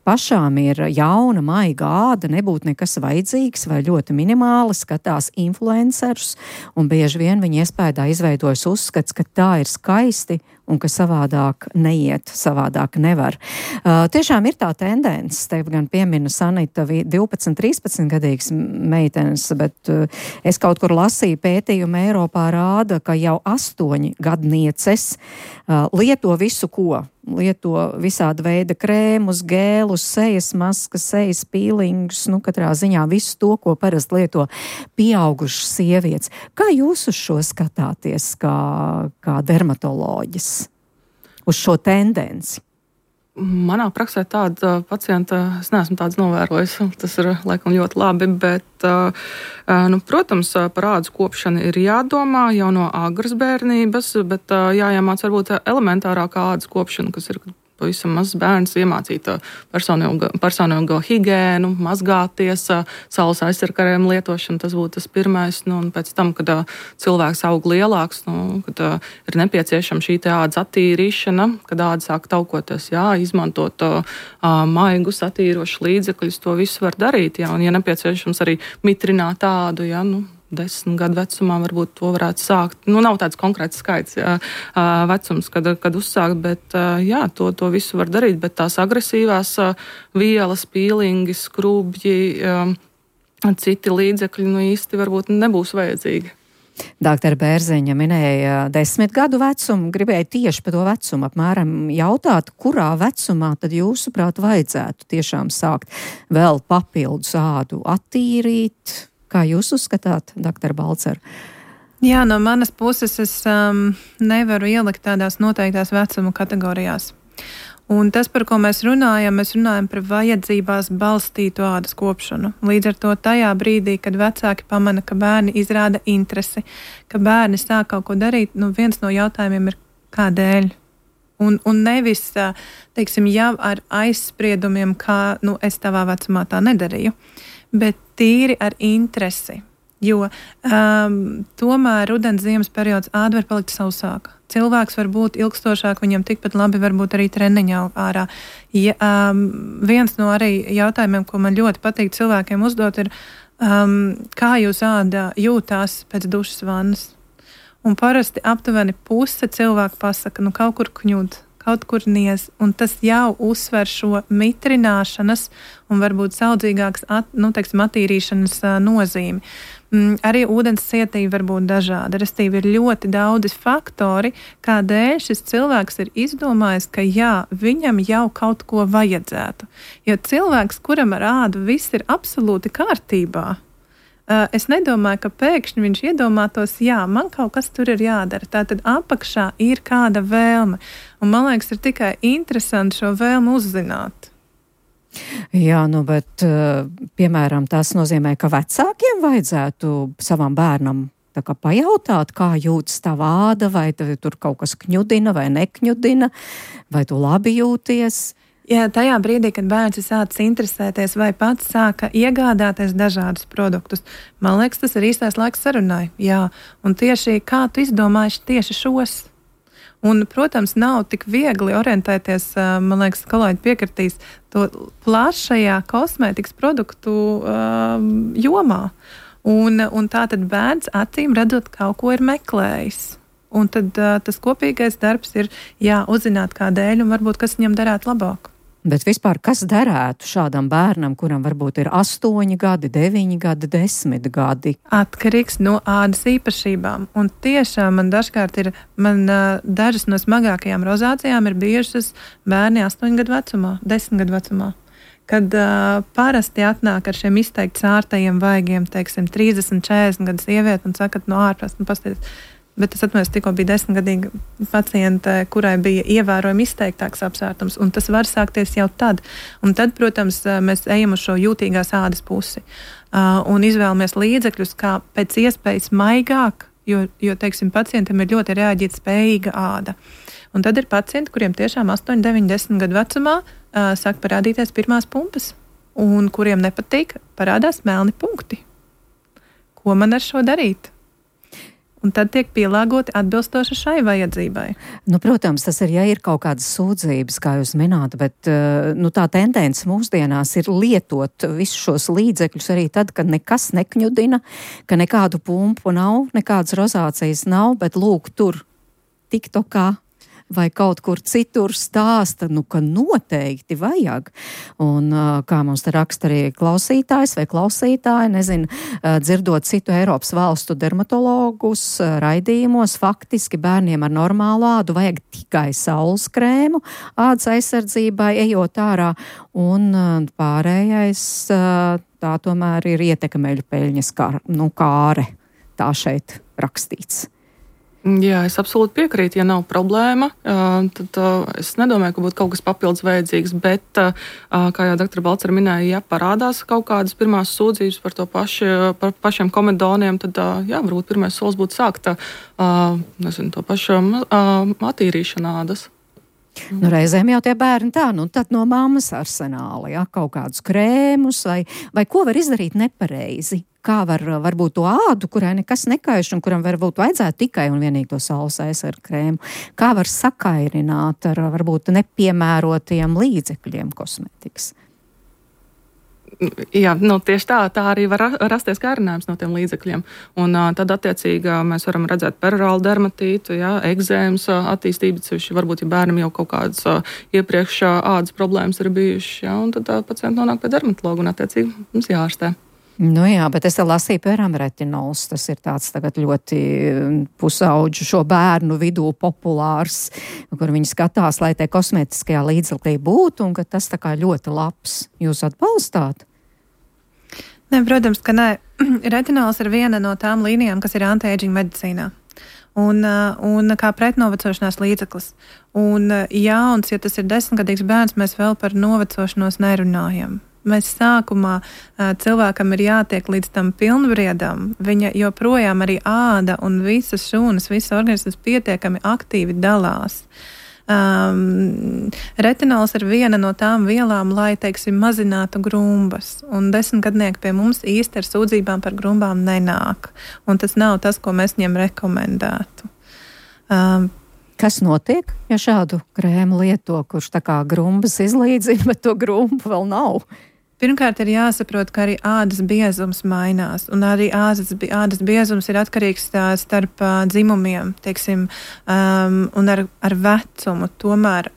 Pašām ir jauna, maiga āda, nebūtu nekas vajadzīgs vai ļoti minimāli, skatās influencerus, un bieži vien viņi iespējā izveidojas uzskats, ka tā ir skaisti un ka savādāk neiet, savādāk nevar. Tiešām ir tā tendence, tev gan piemina Sanita 12, 13 gadīgas meitenes, bet es kaut kur lasīju pētījumu Eiropā rāda, ka jau 8 gadnieces lieto visu ko. Lieto visāda veida krēmus, gēlus, sejas maskas, sejas pīlingus, katrā ziņā visu to, ko parasti lieto pieaugušas sievietes. Kā jūs uz šo skatāties kā dermatoloģis? Uz šo tendenci? Manā praksē tāda pacienta, es neesmu tāds novērojis, tas ir laikam ļoti labi, bet, protams, par ādas kopšanu ir jādomā jau no agras bērnības, bet jāiemāc varbūt elementārākā ādas kopšana, kas ir pavisam mazs bērns, iemācīt personīgo higēnu, mazgāties, saules aizsargkarējumu lietošanu, tas būtu tas pirmais, un pēc tam, kad cilvēks aug lielāks, kad ir nepieciešama šī ādas attīrīšana, kad āda sāk taukoties, izmantot maigus, attīrošus līdzekļus, to visu var darīt, un, ja nepieciešams arī mitrināt ādu, 10 gadu vecumā varbūt to varētu sākt. Nav tāds konkrēts skaits vecums, kad uzsākt, bet to visu var darīt, bet tās agresīvās vielas, pīlingi, skrubji, citi līdzekļi īsti varbūt nebūs vajadzīgi. Dr. Bērziņa minēja 10 gadu vecumu, gribēja tieši par to vecumu apmēram jautāt, kurā vecumā tad jūsuprāt vajadzētu tiešām sākt vēl papildus ādu attīrīt. Kā jūs uzskatāt, Dr. Balcer? Jā, no manas puses es nevaru ielikt tādās noteiktās vecuma kategorijās. Un tas, par ko mēs runājam par vajadzībās balstītu ādas kopšanu. Līdz ar to tajā brīdī, kad vecāki pamana, ka bērni izrāda interesi, ka bērni sāk kaut ko darīt, viens no jautājumiem ir kādēļ. Un nevis, teiksim, jau ar aizspriedumiem, kā es tavā vecumā tā nedarīju, bet tīri ar interesi. Jo tomēr rudens ziemas periods āda var palikt sausāka. Cilvēks var būt ilgstošāk, viņam tikpat labi varbūt arī treniņā ārā. Viens no arī jautājumiem, ko man ļoti patīk cilvēkiem uzdot, ir, kā jūs āda jūtās pēc dušas vannas. Un parasti aptuveni puse cilvēku pasaka, kaut kur kņud, kaut kur niez, un tas jau uzsver šo mitrināšanas un varbūt saudzīgākas, attīrīšanas nozīmi. Arī ūdens cietība var būt dažāda. Restīvi ir ļoti daudzi faktori, kādēļ šis cilvēks ir izdomājis, ka jā, viņam jau kaut ko vajadzētu. Jo cilvēks, kuram ar ādu viss ir absolūti kārtībā, es nedomāju, ka pēkšņi viņš iedomātos, jā, man kaut kas tur ir jādara. Tātad apakšā ir kāda vēlme. Un man liekas, ir tikai interesanti šo vēlmu uzzināt. Jā, bet, piemēram, tas nozīmē, ka vecākiem vajadzētu savam bērnam tā kā pajautāt, kā jūtas tava āda, vai tur kaut kas kņudina vai nekņudina, vai tu labi jūties. Jā, tajā brīdī, kad bērns ir sācis interesēties vai pats sāka iegādāties dažādus produktus, man liekas, tas ir īstais laiks sarunai. Jā, un tieši kā tu izdomāji tieši šos? Un, protams, nav tik viegli orientēties, man liekas, kolēģi piekritīs, to plašajā kosmētikas produktu jomā. Un tā tad bērns acīm redzot kaut ko ir meklējis. Un tad tas kopīgais darbs ir uzzināt kādēļ un varbūt kas viņam darētu labāk. Bet vispār, kas derētu šādam bērnam, kuram varbūt ir 8 gadi, 9 gadi, 10 gadi? Atkarīgs no ādas īpašībām. Un tiešām man dažkārt dažas no smagākajām rozācijām ir bijušas bērni 8 gadu vecumā, 10 gadu vecumā. Kad parasti atnāk ar šiem izteikti sārtajiem vaigiem, teiksim, 30, 40 gadu sievieti un saka, no ārpus, pasties. Bet es atceros, tikko bija 10-gadīga paciente, kurai bija ievērojami izteiktāks apsvērtums, un tas var sākties jau tad. Un tad, protams, mēs ejam uz šo jūtīgās ādas pusi un izvēlamies līdzekļus, kā pēc iespējas maigāk, jo teiksim, pacientam ir ļoti reaģēt spējīga āda. Un tad ir pacienti, kuriem tiešām 8, 9, 10 gadu vecumā sāk parādīties pirmās pumpas, un kuriem nepatīk, parādās melni punkti. Ko man ar šo darīt? Un tad tiek pielāgoti atbilstoši šai vajadzībai. Protams, tas ir, ja ir kaut kādas sūdzības, kā jūs mināt, bet tā tendence mūsdienās ir lietot visus šos līdzekļus arī tad, kad nekas nekņudina, ka nekādu pumpu nav, nekādas rozācijas nav, bet lūk, tur TikTokā vai kaut kur citur stāsta, ka noteikti vajag. Un kā mums te raksta arī klausītājs vai klausītāji, nezinu, dzirdot citu Eiropas valstu dermatologus raidījumos, faktiski bērniem ar normālu ādu vajag tikai saules krēmu ādas aizsardzībai, ejot ārā, un pārējais tā tomēr ir ietekmeļu peļņas kāre. Tā šeit rakstīts. Jā, es absolūti piekrītu. Ja nav problēma, tad es nedomāju, ka būtu kaut kas papildus vajadzīgs, bet, kā jau doktora Balcera minēja, ja parādās kaut kādas pirmās sūdzības par pašiem komedoniem, tad, varbūt pirmais solis būtu sākt, to pašu attīrīšanu ādas. Reizēm jau tie bērni tad no mammas arsenāla, kaut kādus krēmus vai ko var izdarīt nepareizi. Kā varbūt to ādu, kurai nekas nekaiš un kuram varbūt vajadzētu tikai un vienīgi to saules aizsargu krēmu, kā var sakairināt ar varbūt nepiemērotiem līdzekļiem kosmētikas? Jā, tieši tā arī var rasties kārinājums no tiem līdzekļiem. Un tad attiecīgi mēs varam redzēt perorālu dermatītu, ekzēmas attīstību, varbūt, ja bērnam jau kaut kādas iepriekš ādas problēmas ir bijušas, un tad pacienti nonāk pie dermatologa un attiecīgi mums jārastē. Bet es lasīju, piemēram, retinols. Tas ir tāds tagad ļoti pusauģu šo bērnu vidū populārs, kur viņi skatās, lai tie kosmētiskajā līdzekļā būtu, un ka tas tā kā ļoti labs. Jūs atbalstāt? Nē, protams, ka nē. Retinols ir viena no tām līnijām, kas ir anti-aging medicīnā. Un kā pretnovecošanās līdzeklis. Un jauns, ja tas ir 10-gadīgs bērns, mēs vēl par novecošanos nerunājam. Mēs sākumā cilvēkam ir jātiek līdz tam pilnbriedam, viņa joprojām arī āda un visas šūnas, visas organismas pietiekami aktīvi dalās. Retinols ir viena no tām vielām, lai, teiksim, mazinātu grumbas, un 10-gadnieki pie mums īsti ar sūdzībām par grumbām nenāk, un tas nav tas, ko mēs viņiem rekomendētu. Kas notiek, ja šādu krēmu lieto, kurš tā kā grumbas izlīdzina, bet to grumbu vēl nav? Pirmkārt, ir jāsaprot, ka arī ādas biezums mainās, un arī ādas biezums ir atkarīgs starp dzimumiem, teiksim, un ar vecumu tomēr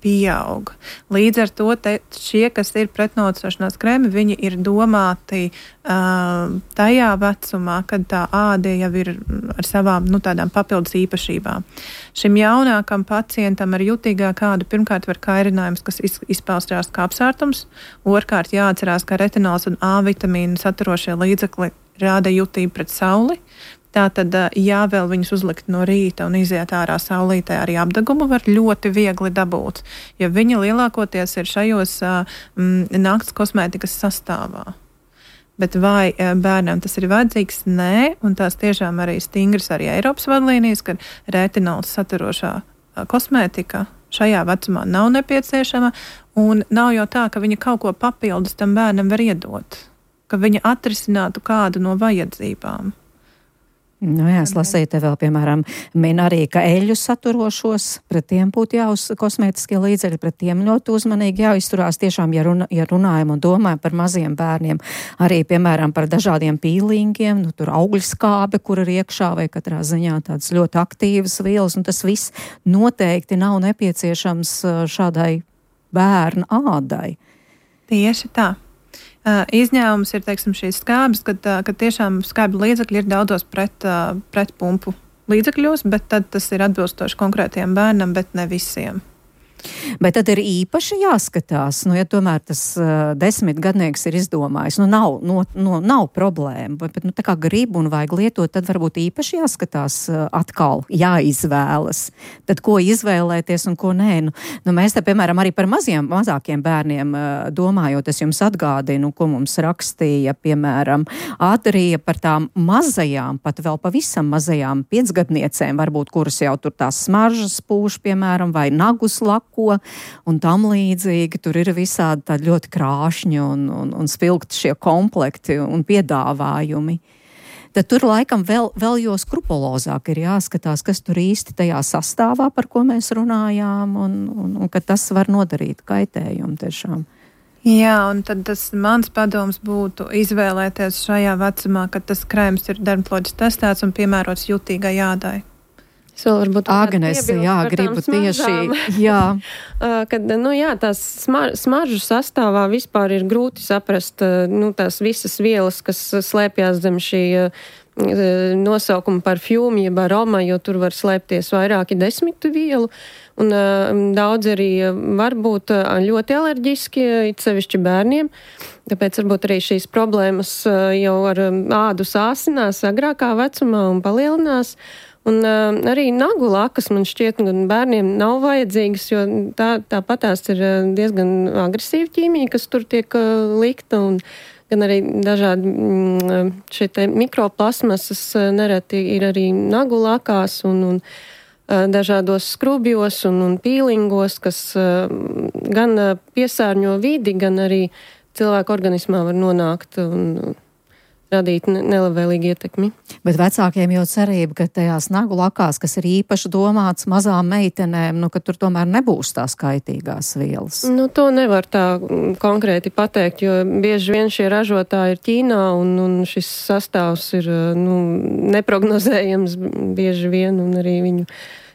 pieaug. Līdz ar to šie, kas ir pretnocošanās krēmi, viņi ir domāti tajā vecumā, kad tā āda jau ir ar savām, tādām papildus īpašībām. Šim jaunākam pacientam ar jutīgāku ādu pirmkārt var kairinājums, kas izpaustās kā apsārtums, otrkārt jāatcerās, ka retinols un A vitamīnu saturošie līdzekli rāda jutību pret sauli. Tātad, ja vēl viņus uzlikt no rīta un iziet ārā saulītē, arī apdegumu var ļoti viegli dabūt, jo viņi lielākoties ir šajos nakts kosmētikas sastāvā. Bet vai bērnam tas ir vajadzīgs? Nē, un tās tiešām arī stingras arī Eiropas vadlīnijas, ka retinols saturošā kosmētika šajā vecumā nav nepieciešama, un nav jau tā, ka viņa kaut ko papildus tam bērnam var iedot, ka viņa atrisinātu kādu no vajadzībām. Jā, es lasīju te vēl, piemēram, min arī, ka eļļu saturošos, pret tiem būtu kosmētiskie līdzekļi, pret tiem ļoti uzmanīgi jāizturās. Tiešām, ja runājam un domājam par maziem bērniem, arī, piemēram, par dažādiem pīlingiem, tur augļskābe, kur ir iekšā, vai katrā ziņā tādas ļoti aktīvas vielas, un tas viss noteikti nav nepieciešams šādai bērnu ādai. Tieši tā. Izņēmums ir, teiksim, šīs skābes, kad tiešām skābju līdzekļi ir daudzos pret pumpu līdzekļos, bet tad tas ir atbilstoši konkrētiem bērnam, bet ne visiem. Bet tad ir īpaši jāskatās, ja tomēr tas 10-gadnieks ir izdomājis, nav problēma, bet tā kā grib un vajag lietot, tad varbūt īpaši jāskatās atkal, jāizvēlas. Tad ko izvēlēties un ko nē. Mēs te, piemēram, arī par mazākiem bērniem domājot, es jums atgādinu, ko mums rakstīja, piemēram, Adrija par tām mazajām, pat vēl pavisam mazajām 5-gadniecēm, varbūt, kuras jau tur tās smaržas pūš, piemēram, vai nagus lako, un tam līdzīgi. Tur ir visādi tādi ļoti krāšņi un spilgti šie komplekti un piedāvājumi. Tad tur laikam vēl jo skrupulozāk ir jāskatās, kas tur īsti tajā sastāvā, par ko mēs runājām, un ka tas var nodarīt kaitējumu tiešām. Jā, un tad tas mans padoms būtu izvēlēties šajā vecumā, kad tas krēms ir dermatoloģiski testēts un piemērots jutīgai ādai. Agnes, gribu tieši, kad, tās smaržu sastāvā vispār ir grūti saprast, tās visas vielas, kas slēpjās zem šī nosaukuma parfjūmi, jeb aroma, jo tur var slēpties vairāki 10 vielu, un daudz arī var būt ļoti alerģiski, it sevišķi bērniem, tāpēc varbūt arī šīs problēmas jau ar ādu sāsinās agrākā vecumā un palielinās. Un arī nagu lakas, man šķiet, gan bērniem nav vajadzīgas, jo tāpatās ir diezgan agresīva ķīmija, kas tur tiek likta, un gan arī dažādi šie mikroplasmasas nereti ir arī nagu lakās un dažādos skrubjos un pīlingos, kas gan piesārņo vidi, gan arī cilvēku organismā var nonākt un radīt nelabvēlīgu ietekmi. Bet vecākiem jau cerība, ka tajās nagu lakās, kas ir īpaši domāts mazām meitenēm, ka tur tomēr nebūs tās kaitīgās vielas. To nevar tā konkrēti pateikt, jo bieži vien šie ražotāji ir Ķīnā un šis sastāvs ir neprognozējams bieži vien, un arī viņu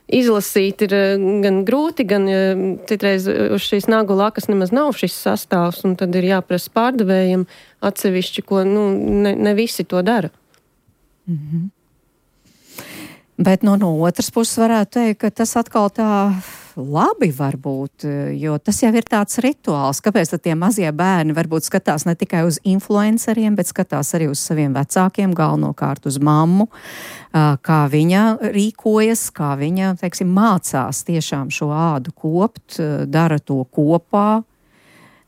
izlasīt ir gan grūti, gan citreiz uz šīs nagu lakas nemaz nav šis sastāvs, un tad ir jāprasa pārdevējiem atsevišķi, ko ne visi to dara. Mm-hmm. Bet no otras puses varētu teikt, ka tas atkal tā labi var būt, jo tas jau ir tāds rituāls. Kāpēc tad tie mazie bērni varbūt skatās ne tikai uz influenceriem, bet skatās arī uz saviem vecākiem, galvenokārt uz mammu, kā viņa rīkojas, kā viņa, mācās tiešām šo ādu kopt, dara to kopā.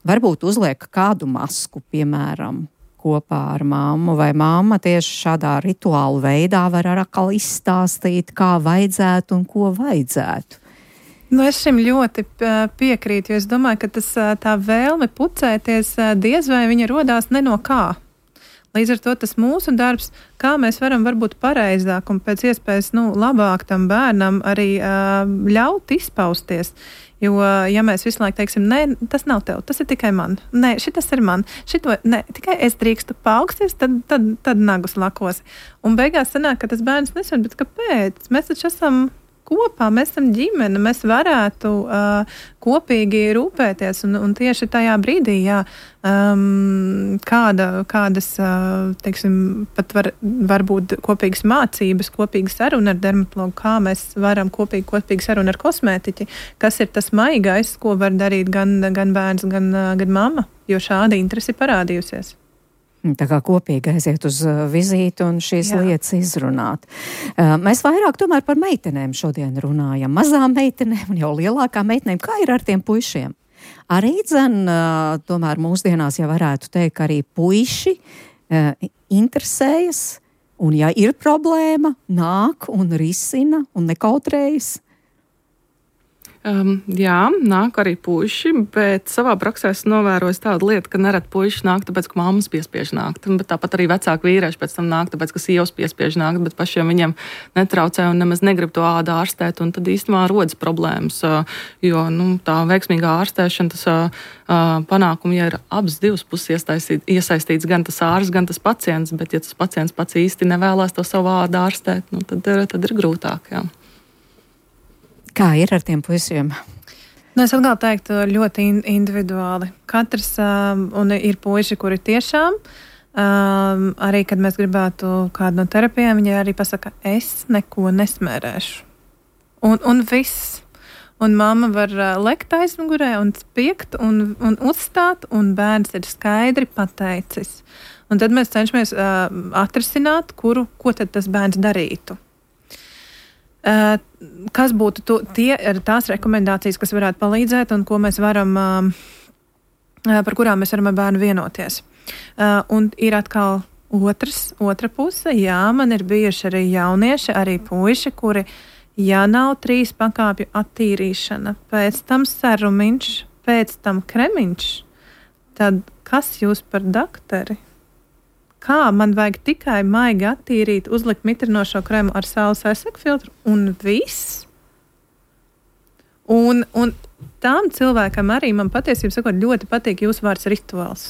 Varbūt uzliek kādu masku, piemēram, kopā ar mammu, vai mamma tieši šādā rituālu veidā var atkal izstāstīt, kā vajadzētu un ko vajadzētu. Es šim ļoti piekrītu, jo es domāju, ka tā vēlme pucēties diez vai viņa rodās ne no kā. Līdz ar to tas mūsu darbs, kā mēs varam varbūt pareizāk un pēc iespējas labāk tam bērnam arī ļaut izpausties. Jo, ja mēs visu laiku teiksim, nē, tas nav tev, tas ir tikai man, nē, šitas ir man, nē, tikai es drīkstu paaugsties, tad nagus lakos. Un beigās sanāk, ka tas bērns nesver, bet kāpēc? Mēs taču esam kopā, mēs esam ģimene, mēs varētu kopīgi rūpēties, un tieši tajā brīdī, kādas, teiksim, pat var būt kopīgas mācības, kopīga saruna ar dermatologu, kā mēs varam kopīgi saruna ar kosmētiķi, kas ir tas maigais, ko var darīt gan bērns, gan mamma, jo šāda interese parādījusies. Tā kā kopīgi aiziet uz vizīti un šīs lietas izrunāt. Mēs vairāk tomēr par meitenēm šodien runājam. Mazām meitenēm un jau lielākām meitenēm. Kā ir ar tiem puišiem? Arī tomēr mūsdienās jau varētu teikt, ka arī puiši interesējas un ja ir problēma, nāk un risina un nekautrējas. Jā, nāk arī puiši, bet savā praksē es novēroju tādu lietu, ka nerad puiši nāk, tāpēc, ka mammas piespiež nākt. Bet tāpat arī vecāki vīrieši pēc tam nāk, tāpēc, ka sievas piespiež nākt, bet pašiem viņiem netraucē un nemaz negrib to ādu ārstēt. Un tad īstenībā rodas problēmas, jo tā veiksmīgā ārstēšana, tas panākumi, ja ir abas divas puses iesaistīts gan tas ārsts, gan tas pacients, bet ja tas pacients pats īsti nevēlās to savu ādu ārstēt, tad ir grūtāk, jā. Kā ir ar tiem puisiem? Es atkal teiktu ļoti individuāli. Katrs, un ir puiši, kuri tiešām, arī, kad mēs gribētu kādu no terapijām, viņi arī pasaka, es neko nesmērēšu. Un viss. Un mamma var lekt aizmugurē un spiegt un uzstāt, un bērns ir skaidri pateicis. Un tad mēs cenšamies atrisināt, ko tad tas bērns darītu. Kas būtu tās rekomendācijas, kas varētu palīdzēt un ko mēs varam, par kurām mēs varam ar bērnu vienoties. Un ir atkal otra puse. Jā, man ir bijuši arī jaunieši, arī puiši, kuri, ja nav 3 pakāpju attīrīšana, pēc tam serumiņš, pēc tam kremiņš, tad kas jūs par dakteri? Kā man vajag tikai maigi attīrīt, uzlikt mitrinošo kremu ar saules aizsegu filtru un viss? Un tām cilvēkam arī man patiesībā sakot ļoti patīk jūsu vārds rituāls.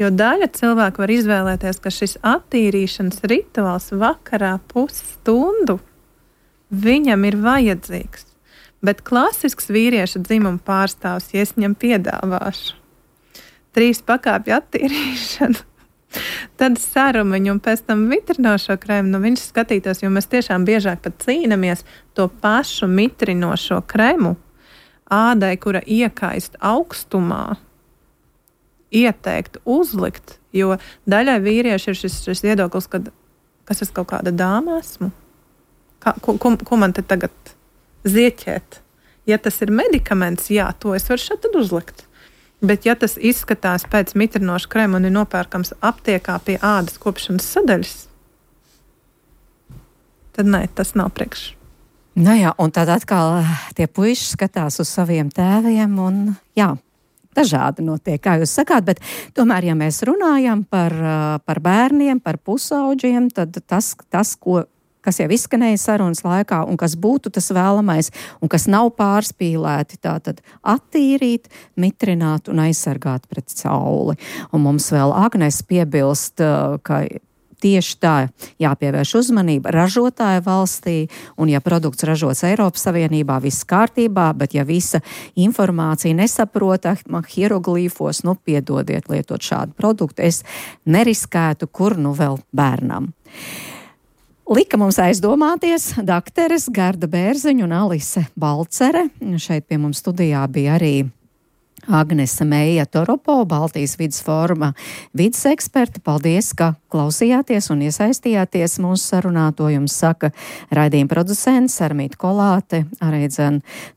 Jo daļa cilvēku var izvēlēties, ka šis attīrīšanas rituāls vakarā pusstundu viņam ir vajadzīgs. Bet klasisks vīrieša dzimuma pārstāvs, ja es viņam piedāvāšu 3 pakāpju attīrīšanu, tad sarumiņu un pēc tam mitrinošo krēmu, viņš skatītos, jo mēs tiešām biežāk pat cīnamies to pašu mitrinošo krēmu ādai, kura iekaist augstumā, ieteikt uzlikt, jo daļai vīrieši ir šis viedoklis, kad kas es kaut kāda dāma esmu? Ko man te tagad zieķēt? Ja tas ir medikaments, jā, to es varu šeit tad uzlikt. Bet, ja tas izskatās pēc mitrinoša krēma un ir nopērkams aptiekā pie ādas kopšanas sadaļas, tad nē, tas nav priekš. Nu jā, un tad atkal tie puiši skatās uz saviem tēviem un jā, dažādi notiek, kā jūs sakāt, bet tomēr, ja mēs runājam par bērniem, par pusauģiem, tad tas kas jau izskanēja sarunas laikā un kas būtu tas vēlamais un kas nav pārspīlēti, tātad attīrīt, mitrināt un aizsargāt pret sauli. Un mums vēl Agnes piebilst, ka tieši tā jāpievērš uzmanība ražotāja valstī, un ja produkts ražots Eiropas Savienībā, viss kārtībā, bet ja visa informācija nesaprotama hieroglīfos, piedodiet lietot šādu produktu, es neriskētu, kur vēl bērnam. Lika mums aizdomāties dakteres Gerda Bērziņa un Alise Balcere. Šeit pie mums studijā bija arī Agnese Meija Toropo, Baltijas vides fóruma vides eksperta. Paldies, ka klausījāties un iesaistījāties mūsu sarunā. To jums saka raidījuma producents Sarmīta Kolāte, arī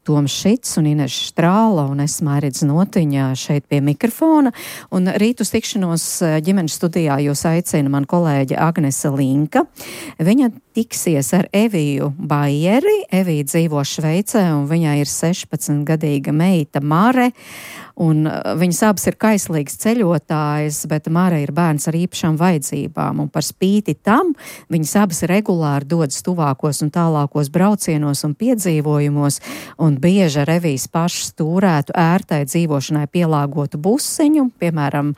Toms Šits un Ineša Strāla un es Mairidz Notiņa šeit pie mikrofona. Un rīt uz tikšanos ģimenes studijā jūs aicina man kolēģe Agnese Linka. Viņa tiksies ar Eviju Baieri. Evija dzīvo Šveicē un viņai ir 16-gadīga meita Mare. Un viņas abas ir kaislīgas ceļotājas, bet Mārai ir bērns ar īpašām vajadzībām. Un par spīti tam viņas abas regulāri dodas tuvākos un tālākos braucienos un piedzīvojumos, un bieži revijas pašas turētu ērtai dzīvošanai pielāgotu busiņu. Piemēram,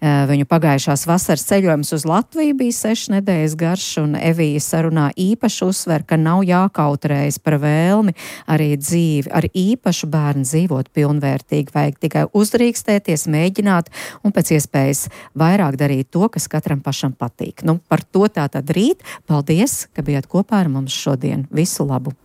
viņu pagājušās vasaras ceļojums uz Latviju bija 6 nedēļas garš, un Evija sarunā īpaši uzsver, ka nav jākautrējas par vēlmi arī dzīvi ar īpašu bērnu dzīvot pilnvērtīgi, vajag tikai uzdrīkstēties, mēģināt un pēc iespējas vairāk darīt to, kas katram pašam patīk. Par to tātad rīt. Paldies, ka bijāt kopā ar mums šodien. Visu labu!